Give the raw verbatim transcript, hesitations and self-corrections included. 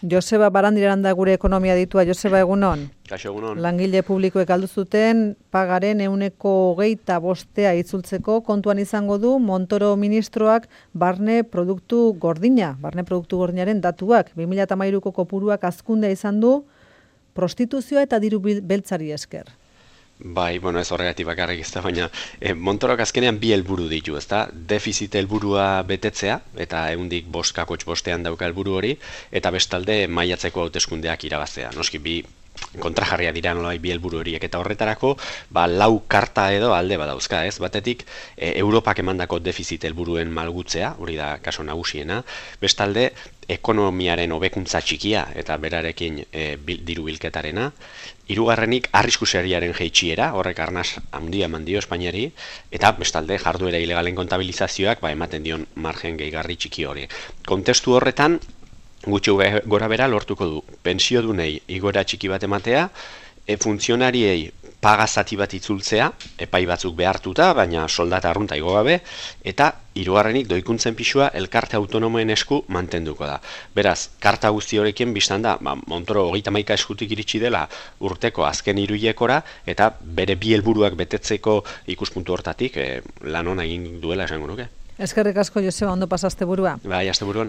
Joseba Barandiaran da gure ekonomia ditua. Joseba, egunon? Kaixo, egunon. Langile publikoek aldu zuten pagaren ehuneko hogeita bostea itzultzeko kontuan izango du Montoro ministroak barne produktu gordina, barne produktu gordinaren datuak. bi mila hamairuko kopuruak hazkundea izan du prostituzioa eta diru beltzari esker. Bai, bueno, ez horregatik bakarrik ez da, baina eh, Montorok azkenean bi helburu ditu, ezta? Defizit helburua betetzea, eta ehundik bost kakotx bostean dauka helburu hori, eta bestalde maiatzeko hauteskundeak irabaztea. Noski bi kontrajarria dira nolabait bi helburu horiek, eta horretarako ba, lau karta edo alde badauzka, ez? Batetik, e, Europak emandako defizit helburuen malgutzea, hori da kaso nagusiena, bestalde ekonomiaren hobekuntza txikia eta berarekin e, bil, diru bilketarena, hirugarrenik arriskuseriaren jaitsiera, horrek arnaz handia eman dio Espainiari, eta bestalde jarduera ilegalen kontabilizazioak ba, ematen dion margen gehigarri txiki hori. Kontestu horretan, gutxi gora bera lortuko du pentsiodunei igoera txiki bat ematea, e, funtzionariei paga zati bat itzultzea, epai batzuk behartuta, baina soldata arrunta igo gabe, eta hirugarrenik doikuntzen pisua elkarte autonomoen esku mantenduko da. Beraz, karta guzti horrekin biztan da, ba, Montoro hogeita hamaika eskutik iritsi dela urteko azken hiruilekora, eta bere bi helburuak betetzeko ikuspuntu hortatik e, lan ona egin duela esango nuke. Eskerrik asko, Joseba, ondo pasaste burua. Bai, asteburuan.